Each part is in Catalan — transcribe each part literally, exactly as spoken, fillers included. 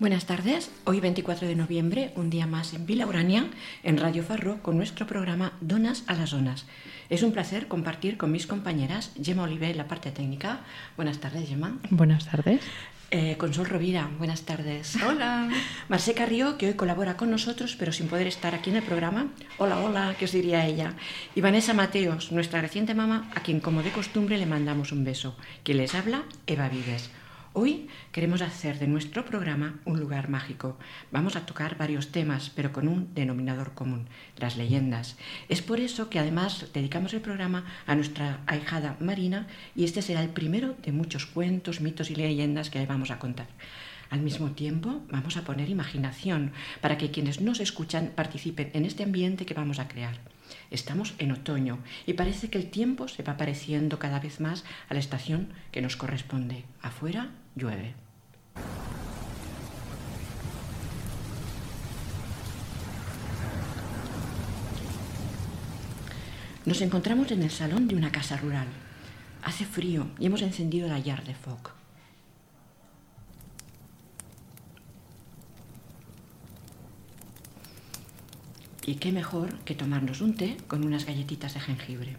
Buenas tardes, hoy veinticuatro de noviembre, un día más en Vila Urania, en Radio Farro, con nuestro programa Donas a las Zonas. Es un placer compartir con mis compañeras Gemma Oliver en la parte técnica. Buenas tardes, Gemma. Buenas tardes. Eh, Consol Rovira, buenas tardes. Hola. Marce Carrió, que hoy colabora con nosotros, pero sin poder estar aquí en el programa. Hola, hola, ¿qué os diría ella? Y Vanessa Mateos, nuestra reciente mamá, a quien como de costumbre le mandamos un beso. Quien les habla, Eva Vives. Hoy queremos hacer de nuestro programa un lugar mágico. Vamos a tocar varios temas, pero con un denominador común, las leyendas. Es por eso que además dedicamos el programa a nuestra ahijada Marina y este será el primero de muchos cuentos, mitos y leyendas que le vamos a contar. Al mismo tiempo, vamos a poner imaginación para que quienes nos escuchan participen en este ambiente que vamos a crear. Estamos en otoño y parece que el tiempo se va pareciendo cada vez más a la estación que nos corresponde. Afuera llueve. Nos encontramos en el salón de una casa rural. Hace frío y hemos encendido la llar de foc. Y qué mejor que tomarnos un té con unas galletitas de jengibre.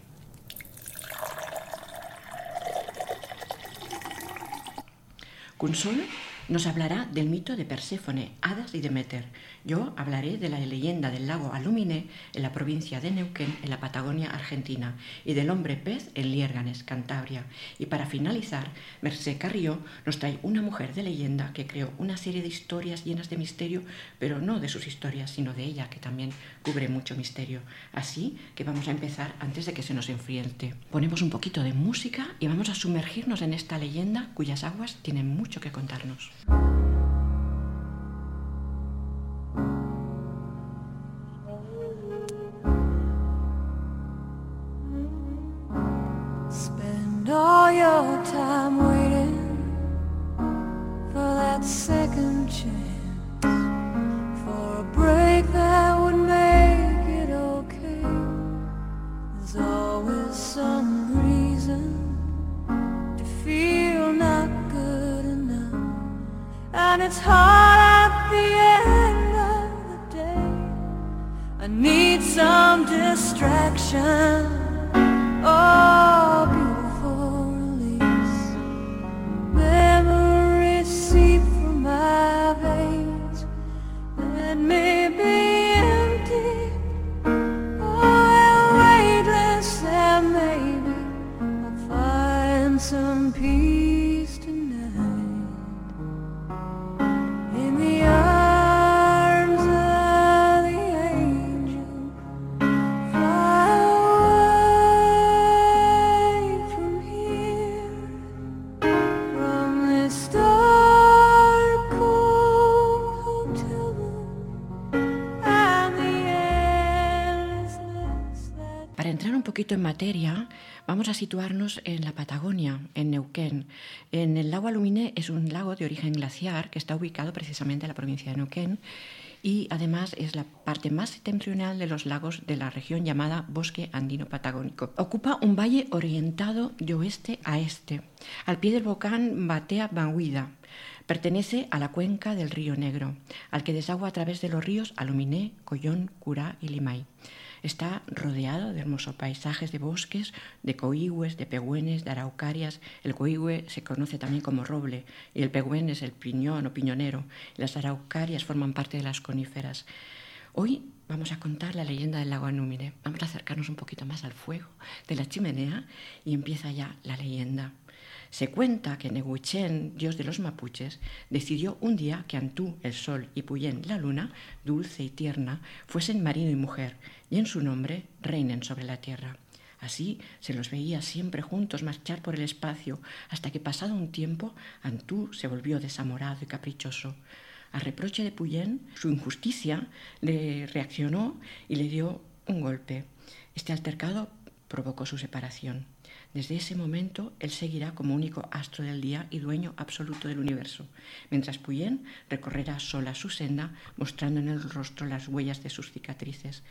Consol nos hablará del mito de Perséfone, Hadas y Deméter. Yo hablaré de la leyenda del lago Aluminé en la provincia de Neuquén, en la Patagonia Argentina, y del hombre pez en Liérganes, Cantabria. Y para finalizar, Mercé Carrió nos trae una mujer de leyenda que creó una serie de historias llenas de misterio, pero no de sus historias, sino de ella, que también cubre mucho misterio. Así que vamos a empezar antes de que se nos enfríe el té. Ponemos un poquito de música y vamos a sumergirnos en esta leyenda cuyas aguas tienen mucho que contarnos. Spend all your time waiting for that second chance, for a break that would make it okay. There's always some reason to feel not good enough, and it's hard at the end of the day. I need some distraction. Oh, beautiful release. Memories seep from my veins. Let me be empty. Oh, weightless, and maybe I'll find some peace tonight. In the arms of the angel, fly away from here, from this dark, cold hotel room and the endlessness that... Para entrar un poquito en materia, vamos a situarnos en la Patagonia, en Neuquén. En el lago Aluminé es un lago de origen glaciar que está ubicado precisamente en la provincia de Neuquén y además es la parte más septentrional de los lagos de la región llamada Bosque Andino Patagónico. Ocupa un valle orientado de oeste a este, al pie del volcán Batea Banguida. Pertenece a la cuenca del río Negro, al que desagua a través de los ríos Aluminé, Collón, Curá y Limay. Está rodeado de hermosos paisajes de bosques, de coigües, de pegüenes, de araucarias. El coigüe se conoce también como roble y el pegüén es el piñón o piñonero. Las araucarias forman parte de las coníferas. Hoy vamos a contar la leyenda del lago Aluminé. Vamos a acercarnos un poquito más al fuego de la chimenea y empieza ya la leyenda. Se cuenta que Nehuichén, dios de los mapuches, decidió un día que Antú, el sol, y Puyén, la luna, dulce y tierna, fuesen marido y mujer, y en su nombre reinen sobre la tierra. Así se los veía siempre juntos marchar por el espacio, hasta que pasado un tiempo Antú se volvió desamorado y caprichoso. A reproche de Puyén, su injusticia le reaccionó y le dio un golpe. Este altercado provocó su separación. Desde ese momento, él seguirá como único astro del día y dueño absoluto del universo, mientras Puyén recorrerá sola su senda, mostrando en el rostro las huellas de sus cicatrices.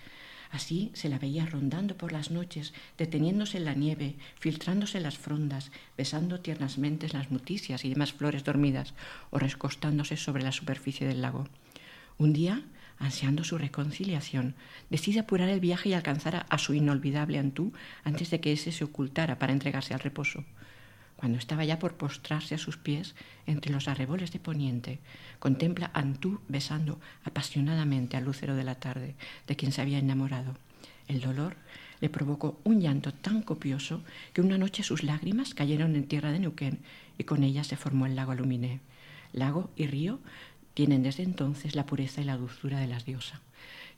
Así se la veía rondando por las noches, deteniéndose en la nieve, filtrándose en las frondas, besando tiernamente las muticias y demás flores dormidas, o recostándose sobre la superficie del lago. Un día, ansiando su reconciliación, decide apurar el viaje y alcanzar a, a su inolvidable Antú antes de que ese se ocultara para entregarse al reposo. Cuando estaba ya por postrarse a sus pies, entre los arreboles de poniente, contempla a Antú besando apasionadamente al lucero de la tarde, de quien se había enamorado. El dolor le provocó un llanto tan copioso que una noche sus lágrimas cayeron en tierra de Neuquén y con ellas se formó el lago Aluminé. Lago y río tienen desde entonces la pureza y la dulzura de la diosa.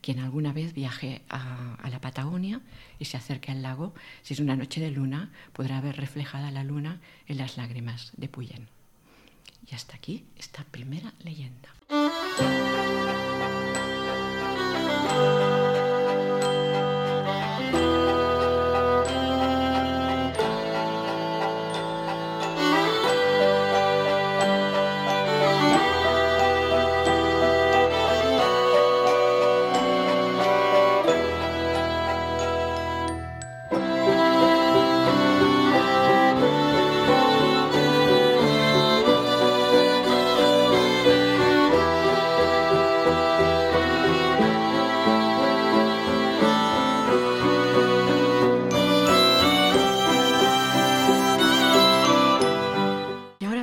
Quien alguna vez viaje a, a la Patagonia y se acerque al lago, si es una noche de luna, podrá ver reflejada la luna en las lágrimas de Puyén. Y hasta aquí esta primera leyenda.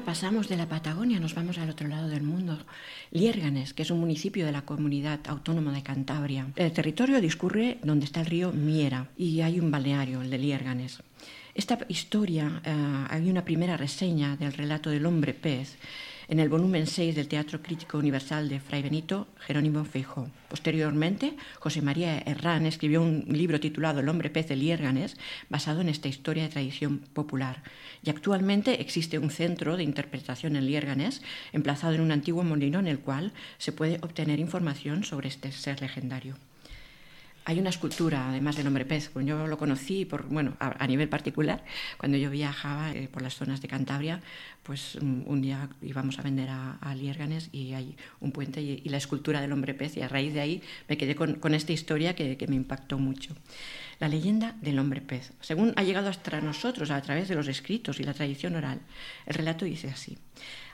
Pasamos de la Patagonia, nos vamos al otro lado del mundo. Liérganes, que es un municipio de la Comunidad Autónoma de Cantabria. El territorio discurre donde está el río Miera y hay un balneario, el de Liérganes. Esta historia, eh, hay una primera reseña del relato del hombre pez en el volumen seis del Teatro Crítico Universal de Fray Benito Jerónimo Feijoo. Posteriormente, José María Herrán escribió un libro titulado El hombre pez de Liérganes, basado en esta historia de tradición popular. Y actualmente existe un centro de interpretación en Liérganes, emplazado en un antiguo molino en el cual se puede obtener información sobre este ser legendario. Hay una escultura, además del hombre pez. Yo lo conocí por, bueno, a, a nivel particular. Cuando yo viajaba eh, por las zonas de Cantabria, pues um, un día íbamos a vender a, a Liérganes y hay un puente y, y la escultura del hombre pez. Y a raíz de ahí me quedé con, con esta historia que, que me impactó mucho. La leyenda del hombre pez. Según ha llegado hasta nosotros a través de los escritos y la tradición oral, el relato dice así.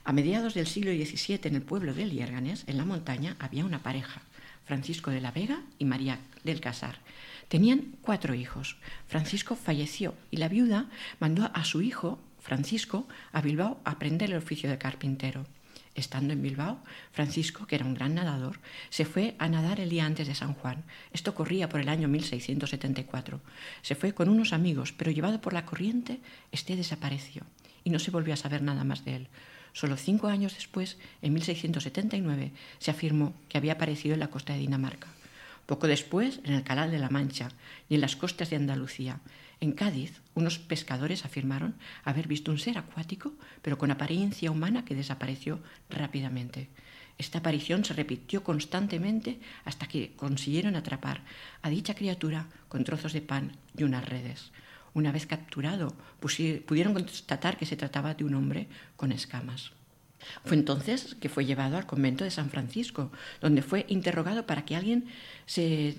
A mediados del siglo diecisiete, en el pueblo de Liérganes, en la montaña, había una pareja, Francisco de la Vega y María del Casar. Tenían cuatro hijos. Francisco falleció y la viuda mandó a su hijo, Francisco, a Bilbao a aprender el oficio de carpintero. Estando en Bilbao, Francisco, que era un gran nadador, se fue a nadar el día antes de San Juan. Esto corría por el año mil seiscientos setenta y cuatro. Se fue con unos amigos, pero llevado por la corriente, este desapareció y no se volvió a saber nada más de él. Solo cinco años después, en mil seiscientos setenta y nueve, se afirmó que había aparecido en la costa de Dinamarca. Poco después, en el Canal de la Mancha y en las costas de Andalucía. En Cádiz, unos pescadores afirmaron haber visto un ser acuático, pero con apariencia humana que desapareció rápidamente. Esta aparición se repitió constantemente hasta que consiguieron atrapar a dicha criatura con trozos de pan y unas redes. Una vez capturado, pudieron constatar que se trataba de un hombre con escamas. Fue entonces que fue llevado al convento de San Francisco, donde fue interrogado para que alguien se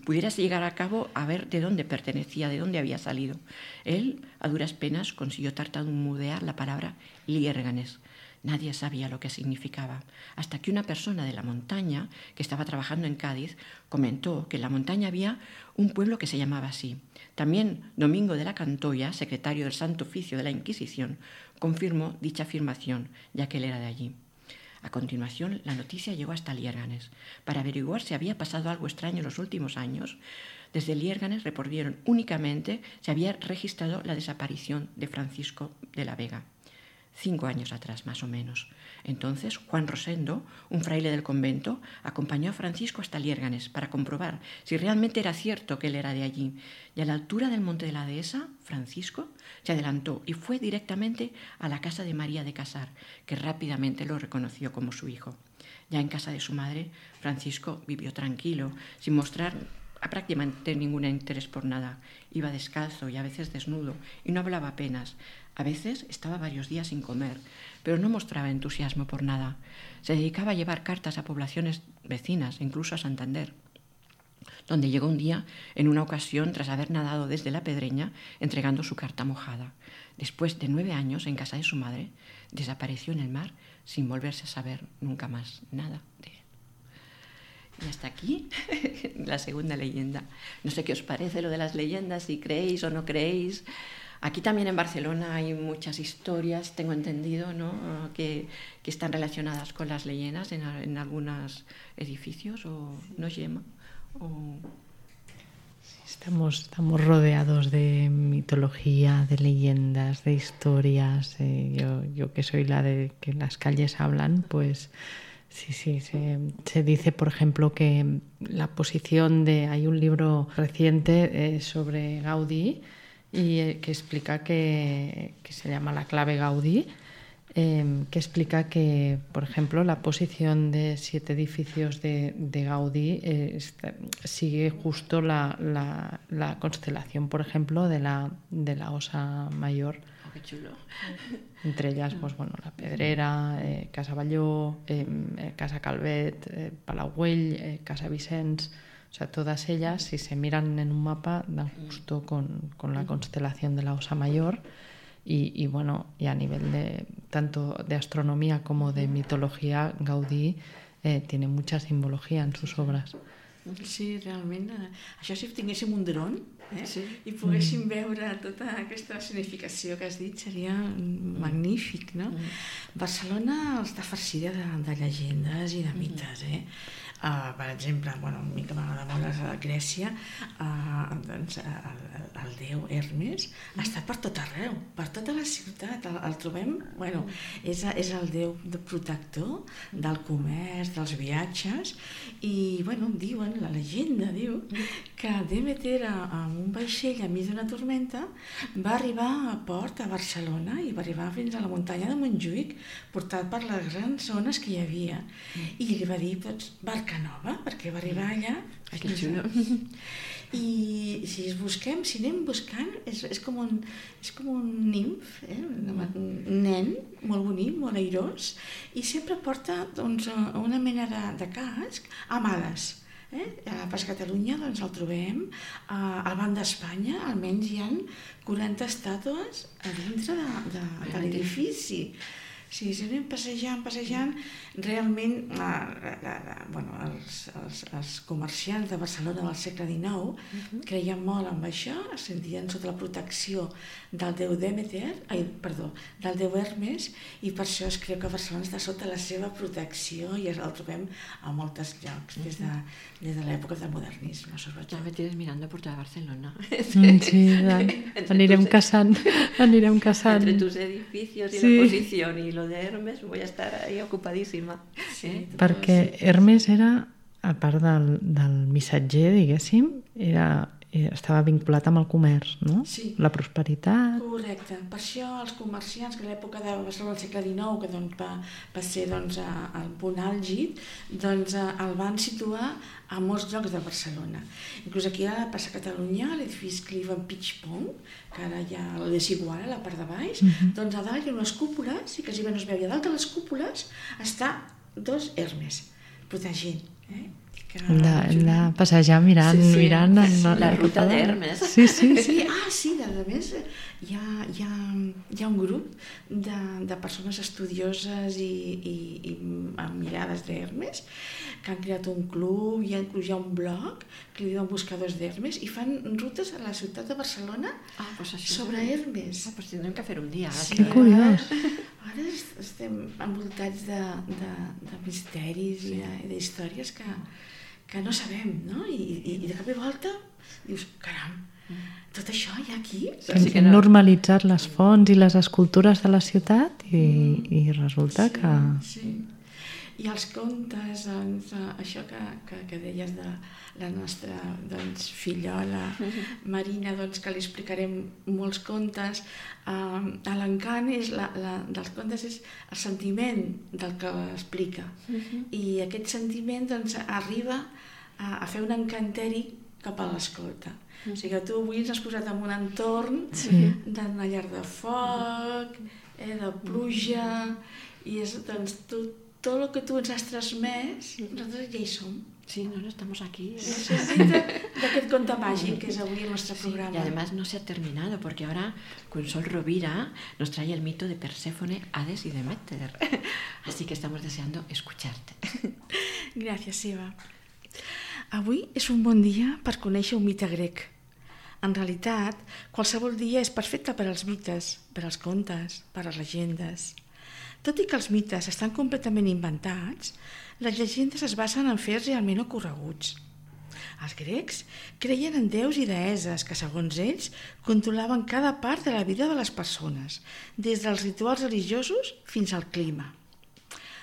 pudiera llegar a cabo a ver de dónde pertenecía, de dónde había salido. Él, a duras penas, consiguió tartamudear la palabra Liérganes. Nadie sabía lo que significaba, hasta que una persona de la montaña, que estaba trabajando en Cádiz, comentó que en la montaña había un pueblo que se llamaba así. También Domingo de la Cantoya, secretario del Santo Oficio de la Inquisición, confirmó dicha afirmación, ya que él era de allí. A continuación, la noticia llegó hasta Liérganes. Para averiguar si había pasado algo extraño en los últimos años, desde Liérganes reportaron únicamente si había registrado la desaparición de Francisco de la Vega. Cinco años atrás, más o menos. Entonces, Juan Rosendo, un fraile del convento, acompañó a Francisco hasta Liérganes para comprobar si realmente era cierto que él era de allí. Y a la altura del monte de la dehesa, Francisco se adelantó y fue directamente a la casa de María de Casar, que rápidamente lo reconoció como su hijo. Ya en casa de su madre, Francisco vivió tranquilo, sin mostrar prácticamente ningún interés por nada. Iba descalzo y a veces desnudo y no hablaba apenas. A veces estaba varios días sin comer, pero no mostraba entusiasmo por nada. Se dedicaba a llevar cartas a poblaciones vecinas, incluso a Santander. donde llegó un día en una ocasión tras haber nadado desde la Pedreña entregando su carta mojada. Después de nueve años en casa de su madre, desapareció en el mar sin volverse a saber nunca más nada de él. Y hasta aquí la segunda leyenda. No sé qué os parece lo de las leyendas, si creéis o no creéis. Aquí también en Barcelona hay muchas historias, tengo entendido, ¿no? que, que están relacionadas con las leyendas en, en algunos edificios, ¿o no, Gemma? O... Estamos, estamos rodeados de mitología, de leyendas, de historias. Eh, yo, yo que soy la de que las calles hablan, pues sí, sí, se, se dice, por ejemplo, que la posición de... Hay un libro reciente eh, sobre Gaudí y eh, que explica que, que se llama La clave Gaudí, eh, que explica que, por ejemplo, la posición de siete edificios de, de Gaudí eh, está, sigue justo la, la, la constelación, por ejemplo, de la, de la Osa Mayor. Oh, qué chulo. Entre ellas, pues bueno, la Pedrera, eh, Casa Balló, eh, Casa Calvet, eh, Palau Güell, eh, Casa Vicens. O sea, todas ellas, si se miran en un mapa, dan justo con, con la constelación de la Osa Mayor. Y, y bueno, y a nivel de tanto de astronomía como de mitología, Gaudí eh, tiene mucha simbología en sus obras. Sí, realment. Eh, això si tinguéssim un dron eh, sí. i poguéssim mm. veure tota aquesta significació que has dit, seria magnífic, no? Mm. Barcelona està farcida de, de llegendes i de mites, eh? Uh, per exemple, bueno, a mi que m'agrada molt a Grècia, uh, doncs, el, el déu Hermes està per tot arreu, per tota la ciutat, el, el trobem, bueno, és, és el déu de protector del comerç, dels viatges, i bueno, diuen, la llegenda diu que Demeter amb un vaixell enmig d'una tormenta va arribar a port a Barcelona i va arribar fins a la muntanya de Montjuïc portat per les grans ones que hi havia, i li va dir, doncs, barca nova, perquè va arribar allà. Que xulo. I si es busquem, si anem buscant, és, és, com, un, és com un nimf, eh? un nen molt bonic, molt airós, i sempre porta doncs, una mena de, de casc amb ales. Eh? A Pas Catalunya doncs, el trobem, uh, al Banc d'Espanya almenys hi ha quaranta estàtues a dintre de, de, de l'edifici. Sí, si anem passejant, passejant, realment eh, eh, bueno, els, els, els comerciants de Barcelona del segle dinou uh-huh. creien molt en això, es sentien sota la protecció del déu Demeter, ai, perdó, del déu Hermes, i per això es creu que Barcelona està sota la seva protecció i el trobem a molts llocs des de, des de l'època del modernisme. Ja me tienes mirando por toda Barcelona. Mm, sí, anirem casant, anirem casant. Entre tus edificios y sí. La posición y lo de Hermes, voy a estar ahí ocupadíssima. Sí, eh? Perquè Hermes era, a part del, del missatger, diguéssim, era, estava vinculat amb el comerç, no? Sí. La prosperitat. Correcte. Per això els comerciants, que a l'època de Barcelona del segle dinou, que doncs, va, va ser doncs, el punt àlgid, doncs, el van situar a molts llocs de Barcelona. Inclús aquí a la Plaça Catalunya, l'edifici Cliven Pitchpong, que ara ja el desigual a la part de baix, uh-huh. doncs a dalt hi ha unes cúpules, i quasi bé no es veu, i a dalt de les cúpules està dos Hermes, protegint. Eh? Hem de, hem de passejar mirant, sí, sí. mirant en la, la ruta d'Hermes. Sí, sí. sí. Ah, sí, a més hi ha, hi ha, hi ha un grup de, de persones estudioses i, i, i amb mirades d'Hermes que han creat un club, i inclús hi ha un blog que li diuen Buscadors d'Hermes i fan rutes a la ciutat de Barcelona ah, pues això sobre és... Hermes. Ah, pues tindrem que fer un dia. Sí, que curiós. Ara estem envoltats de, de, de misteris sí. i d'històries que, que no sabem, no? I, i, i de cop i volta dius, caram, tot això hi ha aquí? Hem, sí que no. hem normalitzat les fonts i les escultures de la ciutat i, mm. i resulta sí, que... Sí. I els contes, doncs, això que, que, que deies de la nostra doncs, fillola Marina, doncs, que li explicarem molts contes. Uh, l'encant és la, la, dels contes és el sentiment del que explica. Uh-huh. I aquest sentiment doncs, arriba a, a fer un encanteri cap a l'escolta. Uh-huh. O sigui que tu avui ens has posat en un entorn sí. d'una llar de foc, eh, de pluja, i és doncs, tot tot el que tu ens has transmès, nosaltres ja hi som. Sí, no, no estamos aquí. D'aquest conte màgic que és avui el nostre programa. Sí, y además no se ha terminado, porque ahora Consol Rovira nos trae el mito de Perséfone, Hades y Deméter. Así que estamos deseando escucharte. Gràcies, Eva. Avui és un bon dia per conèixer un mite grec. En realitat, qualsevol dia és perfecte per als mites, per als contes, per a les llegendes. Tot i que els mites estan completament inventats, les llegendes es basen en fets realment ocorreguts. Els grecs creien en déus i deesses que, segons ells, controlaven cada part de la vida de les persones, des dels rituals religiosos fins al clima.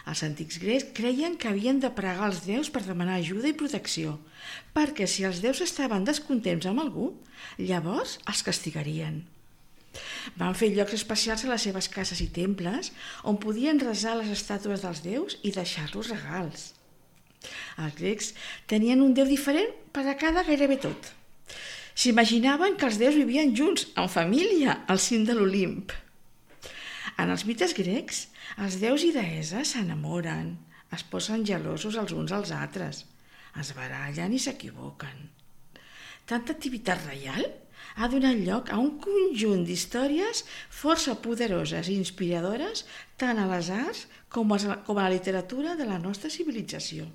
Els antics grecs creien que havien de pregar als déus per demanar ajuda i protecció, perquè si els déus estaven descontents amb algú, llavors els castigarien. Van fer llocs especials a les seves cases i temples on podien resar les estàtues dels déus i deixar-los regals. Els grecs tenien un déu diferent per a cada gairebé tot. S'imaginaven que els déus vivien junts, en família, al cim de l'Olimp. En els mites grecs, els déus i deesses s'enamoren, es posen gelosos els uns als altres, es barallen i s'equivoquen. Tanta activitat reial ha donat lloc a un conjunt d'històries força poderoses i inspiradores tant a les arts com a la literatura de la nostra civilització.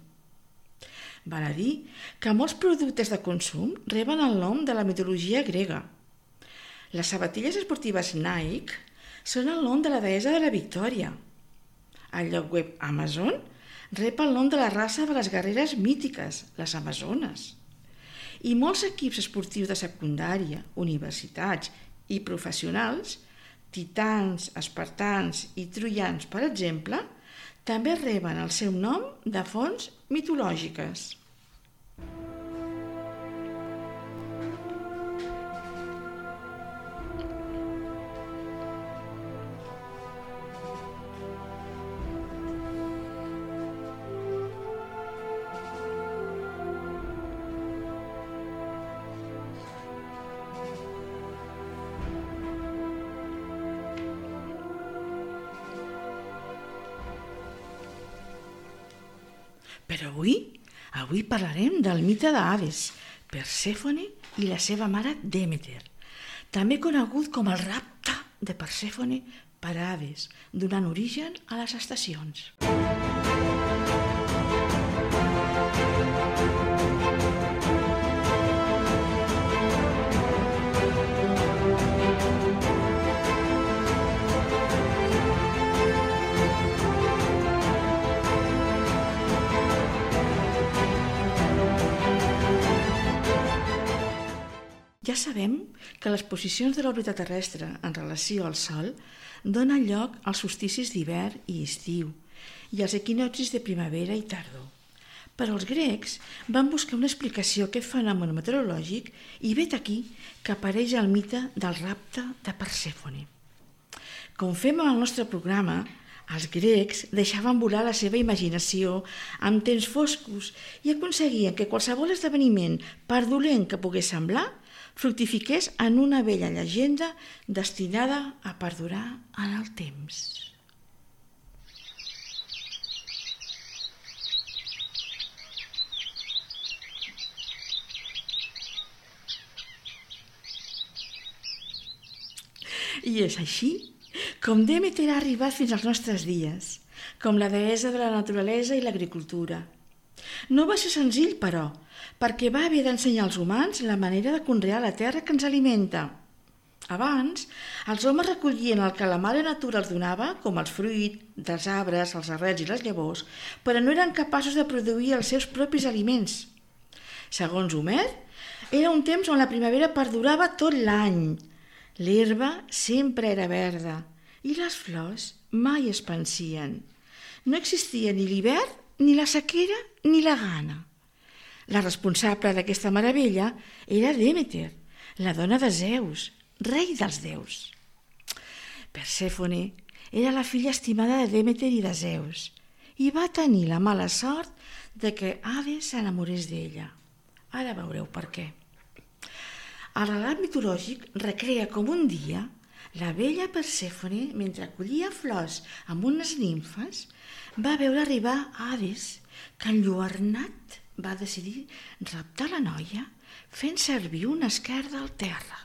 Val a dir que molts productes de consum reben el nom de la mitologia grega. Les sabatilles esportives Nike són el nom de la deessa de la victòria. El lloc web Amazon rep el nom de la raça de les guerreres mítiques, les amazones. I molts equips esportius de secundària, universitats i professionals, titans, espartans i troians, per exemple, també reben el seu nom de fonts mitològiques. Però avui, avui parlarem del mite d'Hades, Persèfone i la seva mare Demeter, també conegut com el rapte de Persèfone per Hades, donant origen a les estacions. Ja sabem que les posicions de l'òrbita terrestre en relació al Sol donen lloc als solsticis d'hivern i estiu i als equinoccis de primavera i tardor. Però els grecs van buscar una explicació a aquest fenomen meteorològic i vet aquí que apareix el mite del rapte de Persèfone. Com fem en el nostre programa, els grecs deixaven volar la seva imaginació amb temps foscos i aconseguien que qualsevol esdeveniment, per dolent que pogués semblar, fructifiqués en una vella llegenda destinada a perdurar en el temps. I és així com Demeter ha arribat fins als nostres dies, com la deessa de la naturalesa i l'agricultura. No va ser senzill, però, perquè va haver d'ensenyar als humans la manera de conrear la terra que ens alimenta. Abans, els homes recollien el que la mare natura els donava, com els fruits dels arbres, els arrels i les llavors, però no eren capaços de produir els seus propis aliments. Segons Homer, era un temps on la primavera perdurava tot l'any. L'herba sempre era verda i les flors mai es pansien. No existia ni l'hivern, ni la sequera, ni la gana. La responsable d'aquesta meravella era Demeter, la dona de Zeus, rei dels déus. Persèfone era la filla estimada de Demeter i de Zeus i va tenir la mala sort de que Hades s'enamorés d'ella. Ara veureu per què. El relat mitològic recrea com un dia La vella Persèfone, mentre collia flors amb unes nimfes, va veure arribar Hades, que enlluernat va decidir raptar la noia fent servir una esquerda al terra.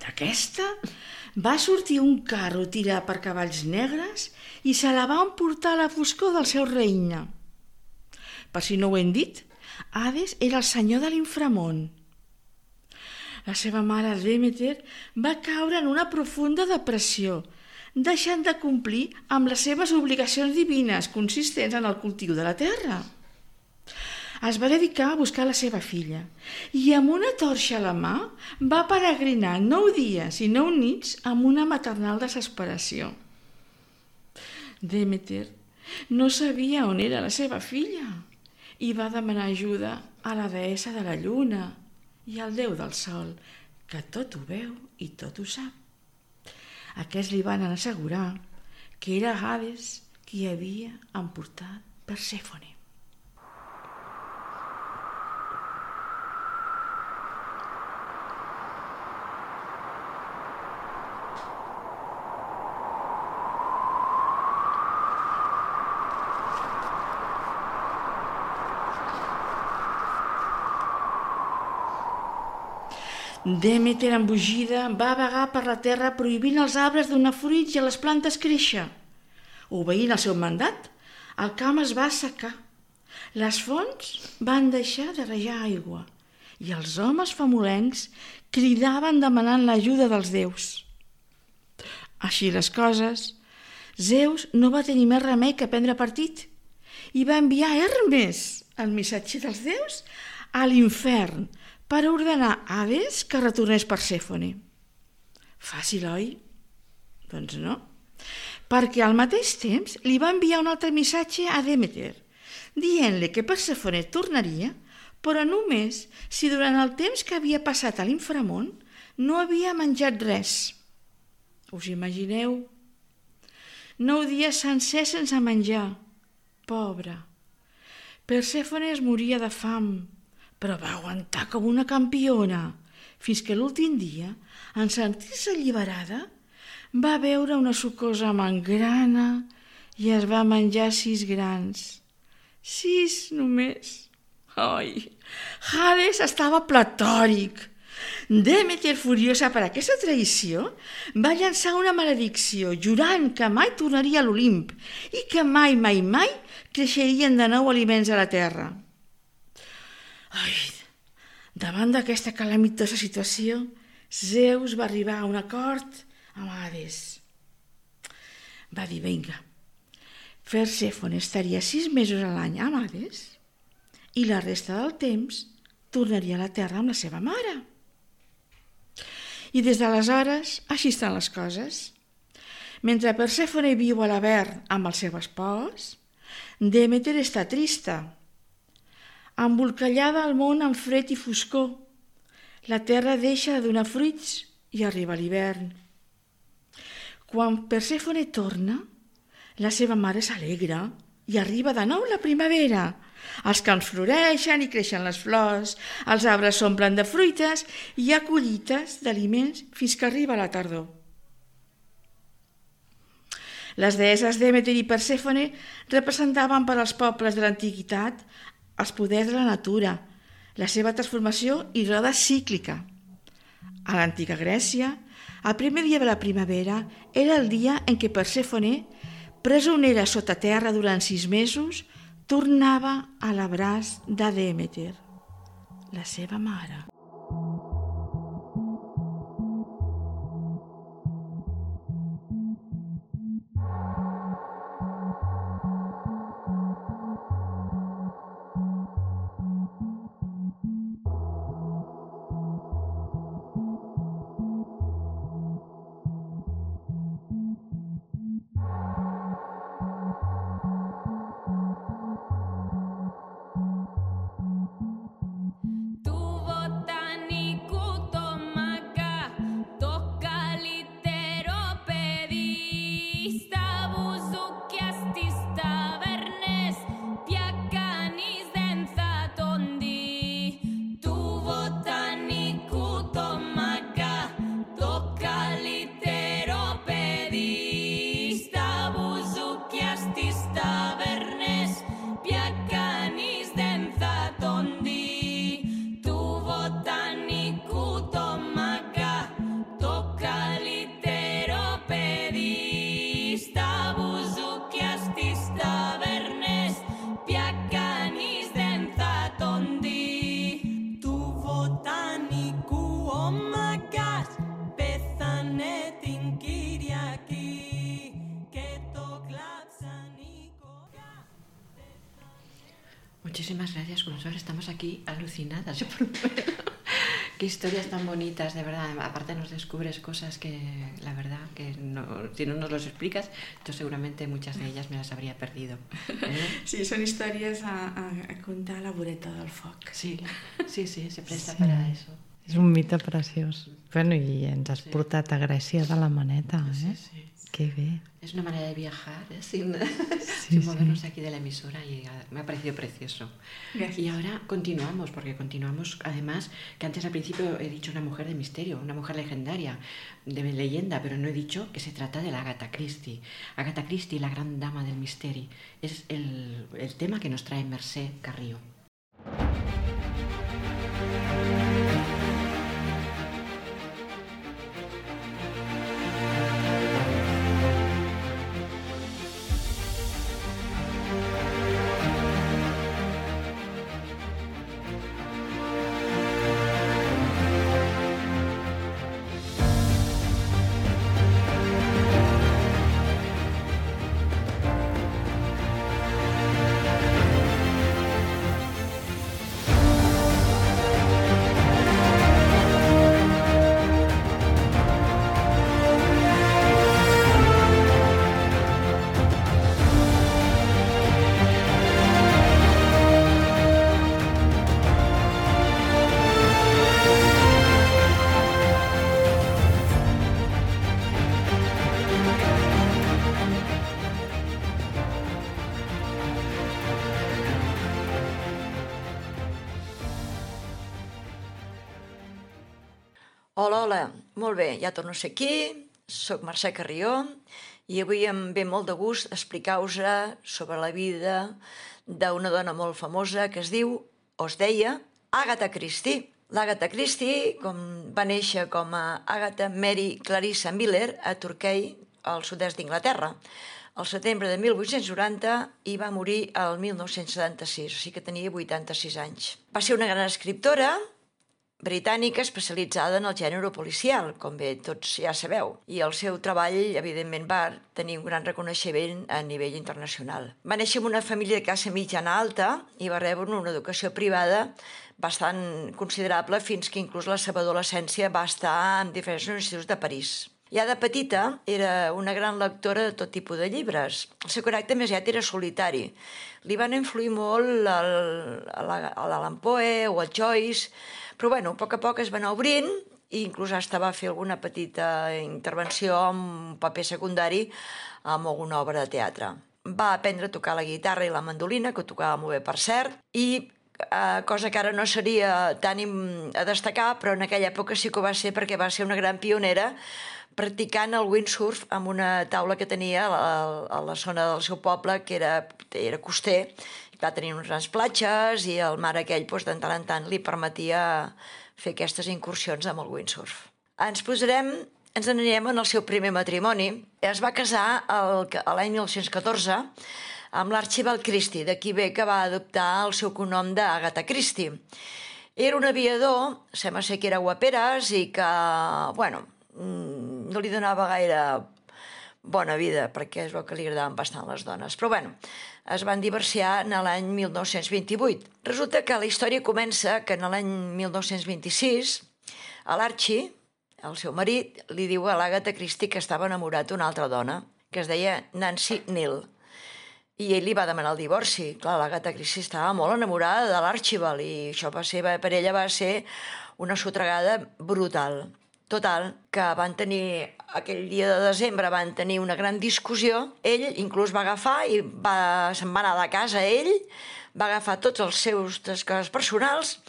D'aquesta va sortir un carro tirat per cavalls negres i se la va emportar a la foscor del seu regne. Per si no ho hem dit, Hades era el senyor de l'inframón. La seva mare Demeter va caure en una profunda depressió, deixant de complir amb les seves obligacions divines consistents en el cultiu de la terra. Es va dedicar a buscar la seva filla i amb una torxa a la mà va peregrinar nou dies i nou nits amb una maternal desesperació. Demeter no sabia on era la seva filla i va demanar ajuda a la deessa de la lluna i al déu del sol, que tot ho veu i tot ho sap. Aquests li van assegurar que era Hades qui havia emportat Persèfone. Demeter, embogida, va vagar per la terra prohibint als arbres donar fruits i a les plantes créixer. Obeint el seu mandat, el camp es va assecar. Les fonts van deixar de rajar aigua i els homes famolencs cridaven demanant l'ajuda dels déus. Així les coses, Zeus no va tenir més remei que prendre partit i va enviar Hermes, el missatger dels déus, a l'infern per ordenar a Hades que retornés Persèfone. Fàcil, oi? Doncs no, perquè al mateix temps li va enviar un altre missatge a Demeter, dient-li que Persèfone tornaria, però només si durant el temps que havia passat a l'inframón no havia menjat res. Us imagineu? Nou dies sencers sense menjar. Pobra. Persèfone es moria de fam, però va aguantar com una campiona, fins que l'últim dia, en sentir-se alliberada, va veure una sucosa mangrana i es va menjar sis grans. Sis només. Ai, Hades estava platòric. Demeter, furiosa per aquesta traïció, va llançar una maledicció, jurant que mai tornaria a l'Olimp i que mai, mai, mai creixerien de nou aliments a la terra. Ai, davant d'aquesta calamitosa situació, Zeus va arribar a un acord amb Hades. Va dir, vinga, Persèfone estaria sis mesos a l'any amb Hades i la resta del temps tornaria a la terra amb la seva mare. I des d'aleshores, així estan les coses. Mentre Persèfone viu a l'Avern amb el seu espòs, Demeter està trista, embolcallada al món amb fred i foscor. La terra deixa de donar fruits i arriba l'hivern. Quan Persèfone torna, la seva mare s'alegra i arriba de nou la primavera. Els camps floreixen i creixen les flors, els arbres s'omplen de fruites i hi ha collites d'aliments fins que arriba la tardor. Les deesses Demeter i Persèfone representaven per als pobles de l'antiguitat els poders de la natura, la seva transformació i roda cíclica. A l'antiga Grècia, el primer dia de la primavera era el dia en què Persèfone, presonera sota terra durant sis mesos, tornava a l'abraç de Demeter, la seva mare. Tu vota Muchísimas gracias, Consuelo. Estamos aquí alucinadas. Yo por un momento. Qué historias tan bonitas, de verdad. Aparte nos descubres cosas que, la verdad, que no, si no nos los explicas, yo seguramente muchas de ellas me las habría perdido. ¿Eh? Sí, són històries a, a, a contar a la voreta del foc. Sí, sí, sí, se presta Sí. para eso. És un mite preciós. Bueno, i ens has Sí. portat a Grècia de la maneta, Sí, eh? sí. Que bé. Es una manera de viajar, ¿eh? sin, Sí, sin sí. movernos aquí de la emisora y ah, me ha parecido precioso. Gracias. Y ahora continuamos, porque continuamos, además, que antes al principio he dicho una mujer de misterio, una mujer legendaria, de leyenda, pero no he dicho que se trata de la Agatha Christie. Agatha Christie, la gran dama del misterio, es el, el tema que nos trae Mercè Carrió. Hola, hola, molt bé, ja torno a ser aquí, soc Mercè Carrió i avui em ve molt de gust explicar-vos sobre la vida d'una dona molt famosa que es diu, o es deia, Agatha Christie. L'Agatha Christie com, va néixer com a Agatha Mary Clarissa Miller a Torquay, al sud-est d'Inglaterra, al setembre de mil vuit-cents noranta i va morir el mil nou-cents setanta-sis, o sigui que tenia vuitanta-sis anys. Va ser una gran escriptora britànica especialitzada en el gènere policial, com bé tots ja sabeu, i el seu treball, evidentment, va tenir un gran reconeixement a nivell internacional. Va néixer en una família de classe mitjana alta i va rebre una educació privada bastant considerable fins que inclús la seva adolescència va estar en diferents instituts de París. Ja de petita era una gran lectora de tot tipus de llibres. El seu caràcter més aviat era solitari. Li van influir molt l'Allan Poe o el Joyce, però bueno, a poc a poc es va anar obrint i inclús hasta va fer alguna petita intervenció amb un paper secundari amb alguna obra de teatre. Va aprendre a tocar la guitarra i la mandolina, que ho tocava molt bé per cert, i eh, cosa que ara no seria tan a destacar, però en aquella època sí que ho va ser perquè va ser una gran pionera practicant el windsurf amb una taula que tenia a la, a la zona del seu poble, que era, era coster. Va tenir uns grans platges i el mar aquell doncs, de tant en tant li permetia fer aquestes incursions amb el windsurf. Ens posarem, ens anirem en el seu primer matrimoni. Es va casar l'any mil nou-cents catorze amb l'Archibald Christie, d'aquí ve que va adoptar el seu cognom d'Agatha Christie. Era un aviador, sembla ser que era guaperes i que, bueno, no li donava gaire bona vida, perquè es veu que li agradaven bastant les dones. Però bueno, es van divorciar en l'any mil nou-cents vint-i-vuit. Resulta que la història comença que en l'any mil nou-cents vint-i-sis a l'Archie, el seu marit, li diu a l'Agatha Christie que estava enamorat d'una altra dona, que es deia Nancy Neal. I ell li va demanar el divorci. Clar, l'Agatha Christie estava molt enamorada de l'Archibald i això va ser, per ella va ser una sotregada brutal. Total, que van tenir, aquell dia de desembre van tenir una gran discussió. Ell inclús va agafar i va, se'n va anar de casa ell, va agafar tots els seus coses personals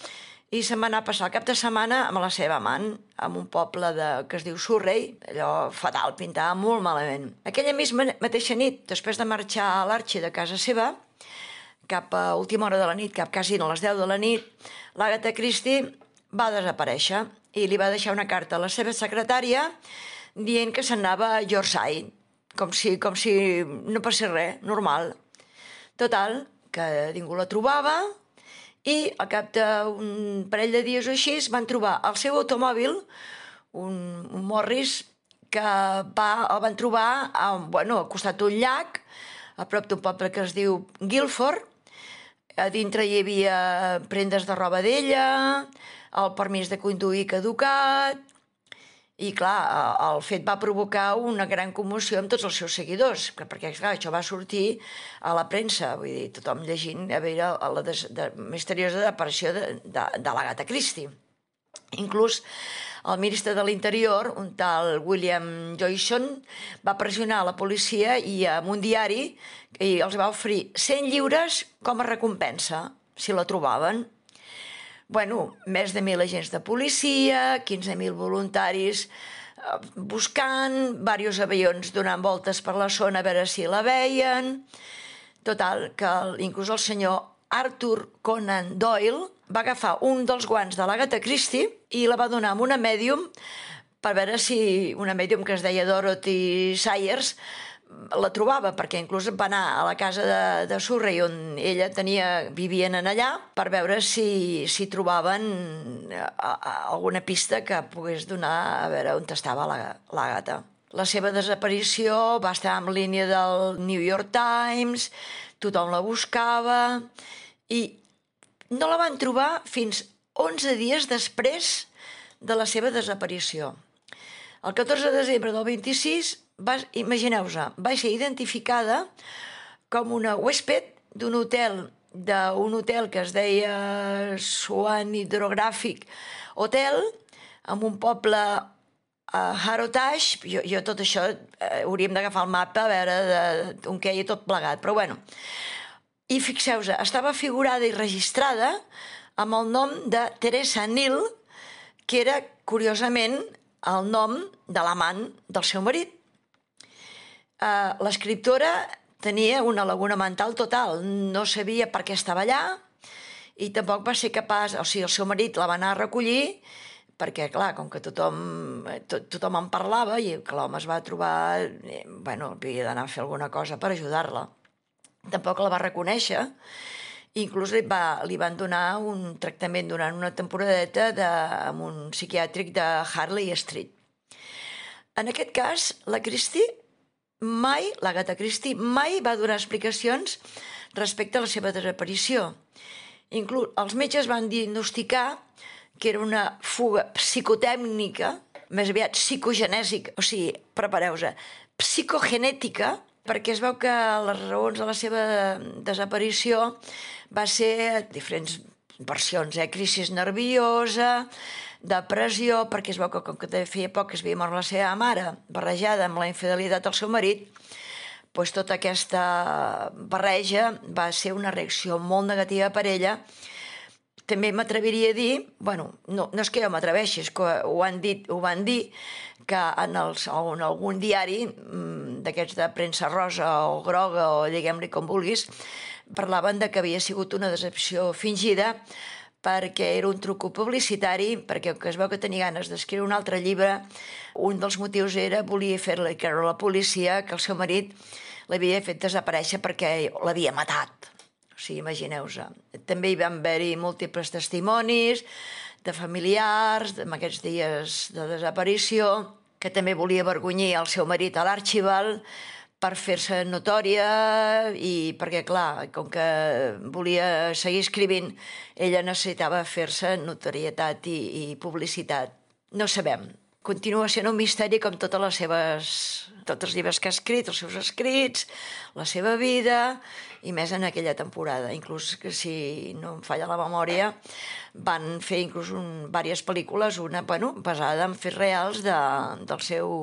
i se'n va anar a passar el cap de setmana amb la seva amant, en un poble de, que es diu Surrey, allò fatal, pintava molt malament. Aquella misma mateixa nit, després de marxar a l'Archie de casa seva, cap a última hora de la nit, cap quasi a les deu de la nit, l'Agatha Christie va desaparèixer i li va deixar una carta a la seva secretària dient que s'anava a Yorkshire, com si, com si no passés res, normal. Total, que ningú la trobava i al cap d'un parell de dies o així van trobar el seu automòbil, un, un Morris, que va, el van trobar a, bueno, al costat d'un llac, a prop d'un poble que es diu Guildford, A dintre hi havia prendes de roba d'ella, el permís de conduir caducat, i clar, el fet va provocar una gran commoció amb tots els seus seguidors, perquè clar, això va sortir a la premsa, vull dir, tothom llegint a veure la des, de, misteriosa desaparició de, de, de l'Agatha Christie. Inclús el ministre de l'Interior, un tal William Joyson, va pressionar la policia i amb un diari i els va oferir cent lliures com a recompensa, si la trobaven. Bueno, més de mil agents de policia, quinze mil voluntaris buscant, diversos avions donant voltes per la zona a veure si la veien. Total, que inclús el senyor Arthur Conan Doyle va agafar un dels guants de l'Agatha Christie i la va donar a una mèdium per veure si una mèdium que es deia Dorothy Sayers la trobava, perquè inclús va anar a la casa de, de Surrey on ella tenia, vivien en allà, per veure si, si trobaven a, a, alguna pista que pogués donar a veure on estava l'Agatha. La seva desaparició va estar en línia del New York Times, tothom la buscava i no la van trobar fins onze dies després de la seva desaparició. El catorze de desembre del vint-i-sis, imagineu-vos, va ser identificada com una huésped d'un hotel, d'un hotel que es deia Swan Hydrographic Hotel, en un poble a Harrotage. Jo, jo tot això eh, hauríem d'agafar el mapa a veure on queia tot plegat, però bueno. I fixeu-vos, estava figurada i registrada amb el nom de Teresa Neal, que era, curiosament, el nom de l'amant del seu marit. Uh, l'escriptora tenia una laguna mental total, no sabia per què estava allà i tampoc va ser capaç, o sigui, el seu marit la va anar a recollir perquè, clar, com que tothom, to, tothom en parlava i que l'home es va trobar, eh, bueno, havia d'anar a fer alguna cosa per ajudar-la. Tampoc la va reconèixer, inclús li, va, li van donar un tractament durant una temporadeta de, amb un psiquiàtric de Harley Street. En aquest cas, la Christie mai, l'Agatha Christie, mai va donar explicacions respecte a la seva desaparició. Inclús els metges van diagnosticar que era una fuga psicotècnica, més aviat psicogenèsica, o sigui, prepareu-vos, psicogenètica, perquè es veu que les raons de la seva desaparició va ser diferents versions, eh? Crisi nerviosa, depressió, perquè es veu que com que feia poc que es havia mort la seva mare, barrejada amb la infidelitat del seu marit, doncs tota aquesta barreja va ser una reacció molt negativa per ella. També m'atreviria a dir, bueno, no, no és que jo m'atreveixi, és que ho han dit, ho van dir, que en, els, en algun diari d'aquests de premsa rosa o groga o diguem-li com vulguis, parlaven de que havia sigut una decepció fingida perquè era un truc publicitari, perquè es veu que tenia ganes d'escriure un altre llibre. Un dels motius era volia fer-li creure a la policia que el seu marit l'havia fet desaparèixer perquè l'havia matat. O sigui, imagineu-vos. També hi van haver-hi múltiples testimonis de familiars en aquests dies de desaparició, que també volia avergonyir el seu marit a l'Archibald per fer-se notòria i perquè, clar, com que volia seguir escrivint, ella necessitava fer-se notorietat i, i publicitat. No sabem. Continua sent un misteri com totes les seves, tots els llibres que ha escrit, els seus escrits, la seva vida, i més en aquella temporada. Inclús, que si no em falla la memòria, van fer inclús un, diverses pel·lícules, una, bueno, basada en fets reals de, del seu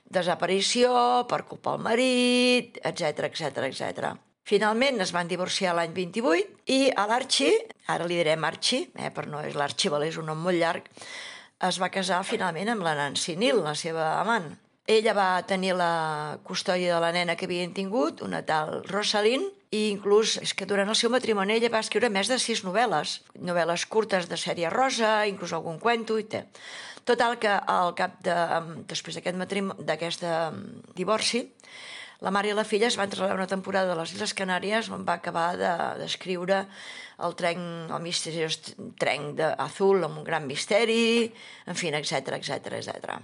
desaparició, per culpa del marit, etcètera, etcètera, etcètera. Finalment es van divorciar l'any vint-i-vuit i a l'Archie, ara li direm Archie, eh, però no és l'Archibald, és un nom molt llarg, es va casar finalment amb la Nancy Neal, la seva amant. Ella va tenir la custòdia de la nena que havien tingut, una tal Rosalind, i inclús és que durant el seu matrimoni ella va escriure més de sis novel·les, novel·les curtes de sèrie rosa, inclús algun cuento i té. Total que al cap de, després d'aquest matrimoni, d'aquest divorci, la mare i la filla es van traslladar una temporada a les Illes Canàries on va acabar d'escriure el tren, el misteriós tren d'Azul amb un gran misteri, en fi, etcètera, etcètera, etcètera.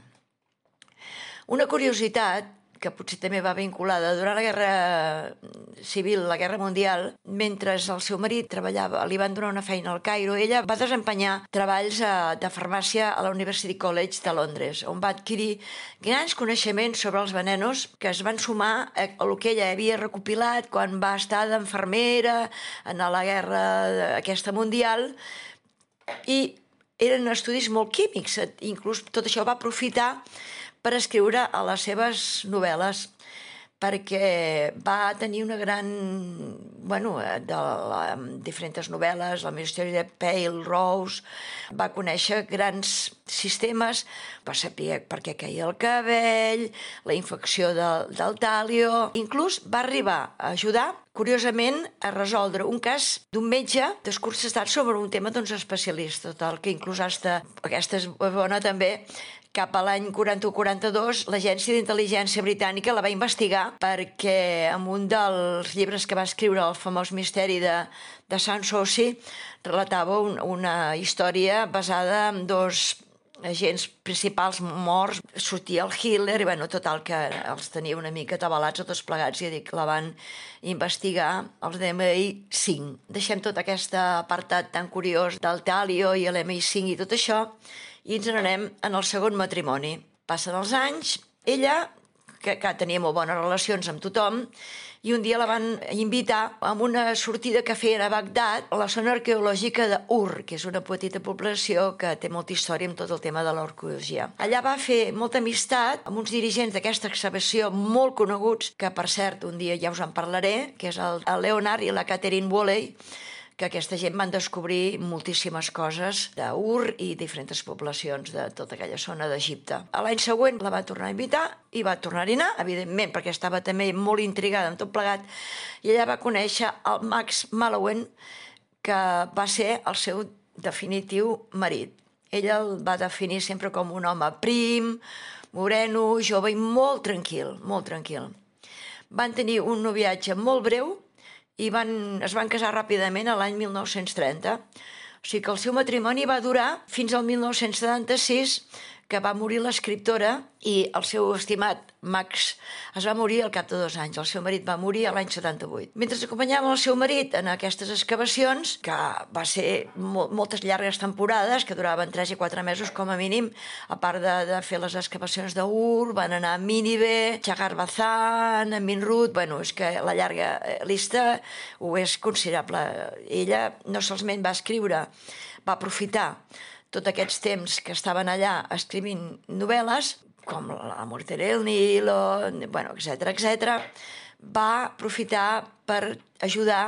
Una curiositat que potser també va vinculada durant la Guerra Civil, la Guerra Mundial, mentre el seu marit treballava, li van donar una feina al Cairo, ella va desempenyar treballs de farmàcia a la University College de Londres, on va adquirir grans coneixements sobre els venenos que es van sumar a el que ella havia recopilat quan va estar d'enfermera en la guerra aquesta mundial, i eren estudis molt químics, inclús tot això va aprofitar per escriure a les seves novel·les, perquè va tenir una gran... bueno, de la, diferents novel·les, el misteri de Pale Rose, va conèixer grans sistemes, va saber per què caia el cabell, la infecció del, del tàlio... Inclús va arribar a ajudar, curiosament, a resoldre un cas d'un metge desconcertat sobre un tema doncs, especialista, total, que inclús hasta, aquesta és bona també, cap a l'any quaranta-u quaranta-dos, l'Agència d'Intel·ligència Britànica la va investigar perquè en un dels llibres que va escriure, el famós misteri de, de Sanssouci, relatava un, una història basada en dos agents principals morts. Sortia el Hitler i, bueno, total, que els tenia una mica atabalats a tots plegats i dic, la van investigar els de l'M I cinc. Deixem tot aquest apartat tan curiós del Talio i l'M I cinc i tot això, i ens n'anem en el segon matrimoni. Passen els anys, ella, que, que tenia molt bones relacions amb tothom, i un dia la van invitar a una sortida que feien a Bagdad, a la zona arqueològica d'Ur, que és una petita població que té molta història amb tot el tema de l'arqueologia. Allà va fer molta amistat amb uns dirigents d'aquesta excavació molt coneguts, que per cert un dia ja us en parlaré, que és el, el Leonard i la Catherine Woolley, que aquesta gent van descobrir moltíssimes coses d'Ur i diferents poblacions de tota aquella zona d'Egipte. L'any següent la va tornar a invitar i va tornar-hi anar, evidentment, perquè estava també molt intrigada amb tot plegat, i ella va conèixer el Max Mallowan, que va ser el seu definitiu marit. Ella el va definir sempre com un home prim, moreno, jove i molt tranquil, molt tranquil. Van tenir un noviatge molt breu, i van, es van casar ràpidament a l'any mil nou-cents trenta. O sigui que el seu matrimoni va durar fins al mil nou-cents setanta-sis, que va morir l'escriptora, i el seu estimat Max es va morir al cap de dos anys. El seu marit va morir a l'any setanta-vuit. Mentre acompanyava el seu marit en aquestes excavacions, que va ser mo moltes llargues temporades, que duraven tres i quatre mesos com a mínim, a part de, de fer les excavacions d'Ur, van anar a Nínive, Chagar Bazan, a Minrut... Bueno, és que la llarga llista ho és considerable. Ella no solament va escriure, va aprofitar tots aquests temps que estaven allà escrivint novel·les, com La Morte del Nilo, bueno, etcètera, etcètera, va aprofitar per ajudar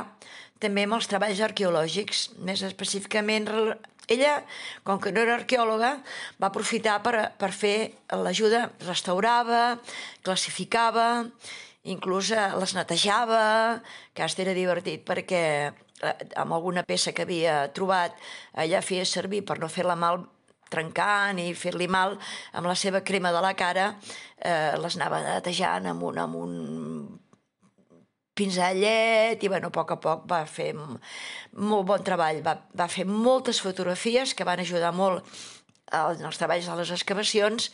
també amb els treballs arqueològics. Més específicament, ella, com que no era arqueòloga, va aprofitar per, per fer l'ajuda, restaurava, classificava, inclús les netejava, que hasta era divertit perquè amb alguna peça que havia trobat, ella feia servir per no fer-la mal trencant i fer-li mal, amb la seva crema de la cara, eh, les anava netejant amb un, amb un pinzellet i, bueno, a poc a poc va fer molt bon treball. Va, va fer moltes fotografies que van ajudar molt en els treballs de les excavacions,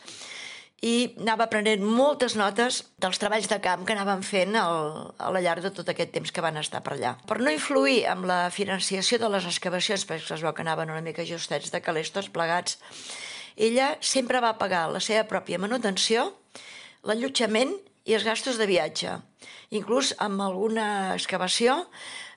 i anava prenent moltes notes dels treballs de camp que anaven fent al, a la llarg de tot aquest temps que van estar per allà. Per no influir amb la financiació de les excavacions, perquè es veu que anaven una mica justets de calés tots plegats, ella sempre va pagar la seva pròpia manutenció, l'allotjament i els gastos de viatge. Inclús amb alguna excavació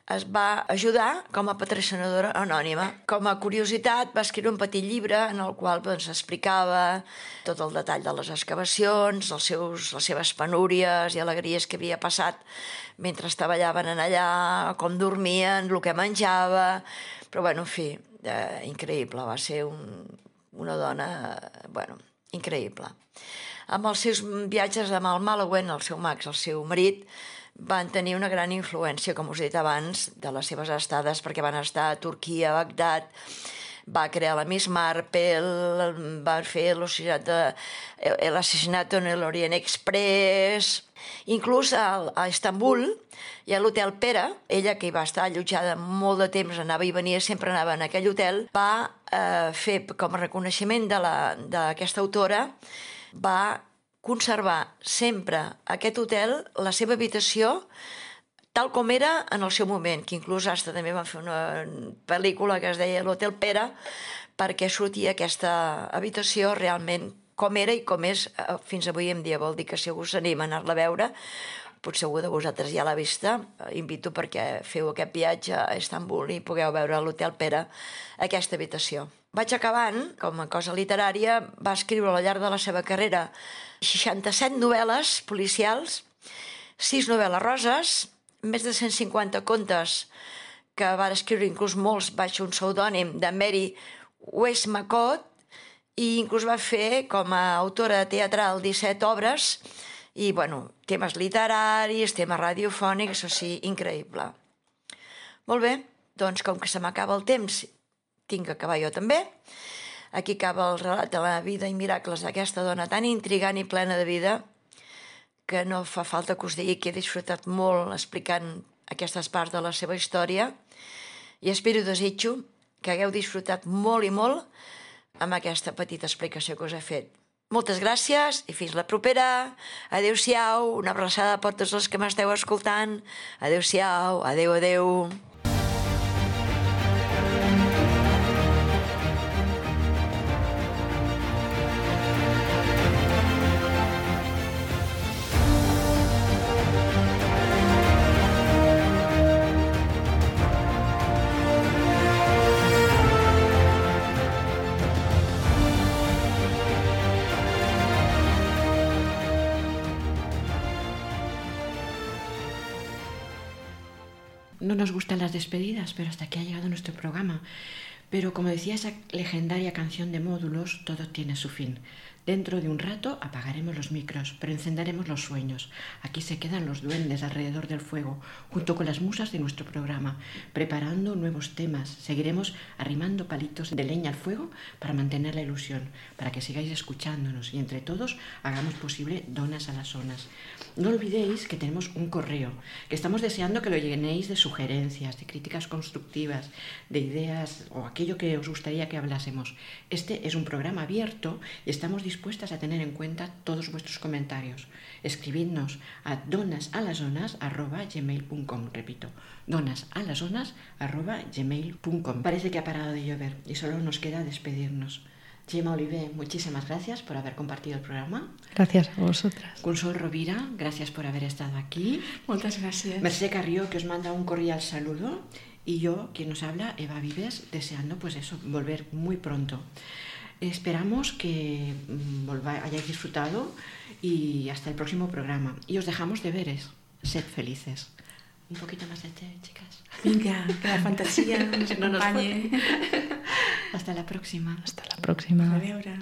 es va ajudar com a patrocinadora anònima. Com a curiositat, va escriure un petit llibre en el qual doncs, explicava tot el detall de les excavacions, els seus, les seves penúries i alegries que havia passat mentre treballaven allà, com dormien, el que menjava... Però, bueno, en fi, eh, increïble. Va ser un, una dona, bueno, increïble. Amb els seus viatges amb el Mallowan, el seu Max, el seu marit, van tenir una gran influència, com us he dit abans, de les seves estades, perquè van estar a Turquia, a Bagdad, va crear la Miss Marple, va fer l'assassinat en l'Orient Express, inclús a, a Istanbul hi ha l'hotel Pera, ella que hi va estar allotjada molt de temps, anava i venia, sempre anava en aquell hotel, va eh, fer com a reconeixement d'aquesta autora, va conservar sempre aquest hotel, la seva habitació, tal com era en el seu moment, que inclús hasta també van fer una pel·lícula que es deia l'Hotel Pera, perquè sortia aquesta habitació realment com era i com és fins avui en dia. Vol dir que si algú s'anima a anar-la a veure, potser algú de vosaltres ja l'ha vista, invito perquè feu aquest viatge a Istanbul i pugueu veure a l'Hotel Pera aquesta habitació. Vaig acabant, com a cosa literària, va escriure al llarg de la seva carrera seixanta-set novel·les policials, sis novel·les roses, més de cent cinquanta contes que va escriure inclús molts baix un pseudònim de Mary Westmacott, i inclús va fer com a autora teatral disset obres i, bueno, temes literaris, temes radiofònics, o sigui, increïble. Molt bé, doncs com que se m'acaba el temps, tinc que acabar jo també. Aquí acaba el relat de la vida i miracles d'aquesta dona tan intrigant i plena de vida que no fa falta que us digui que he disfrutat molt explicant aquestes parts de la seva història i espero i desitjo que hagueu disfrutat molt i molt amb aquesta petita explicació que us he fet. Moltes gràcies i fins la propera. Adéu-siau, una abraçada per tots els que m'esteu escoltant. Adéu-siau, adéu, adéu. No nos gustan las despedidas, pero hasta aquí ha llegado nuestro programa. Pero como decía esa legendaria canción de Módulos, todo tiene su fin. Dentro de un rato apagaremos los micros, pero encenderemos los sueños. Aquí se quedan los duendes alrededor del fuego, junto con las musas de nuestro programa, preparando nuevos temas. Seguiremos arrimando palitos de leña al fuego para mantener la ilusión, para que sigáis escuchándonos y entre todos hagamos posible Donas a las Zonas. No olvidéis que tenemos un correo, que estamos deseando que lo llenéis de sugerencias, de críticas constructivas, de ideas o aquello que os gustaría que hablásemos. Este es un programa abierto y estamos dispuestas a tener en cuenta todos vuestros comentarios. Escribidnos a donasalazonas arroba gmail punto com, repito, donasalazonas arroba gmail punto com. Parece que ha parado de llover y solo nos queda despedirnos. Gemma Oliver, muchísimas gracias por haber compartido el programa. Gracias a vosotras. Consol Rovira, gracias por haber estado aquí. Moltes gràcies. Mercè Carrió, que os manda un cordial saludo. Y yo, quien nos habla, Eva Vives, deseando pues eso, volver muy pronto. Esperamos que volváis, hayáis disfrutado y hasta el próximo programa. Y os dejamos deberes. Sed felices. Un poquito más de té, chicas. Vinga, que la fantasia ens No nos acompanye. Hasta la próxima. Hasta la próxima. A veure...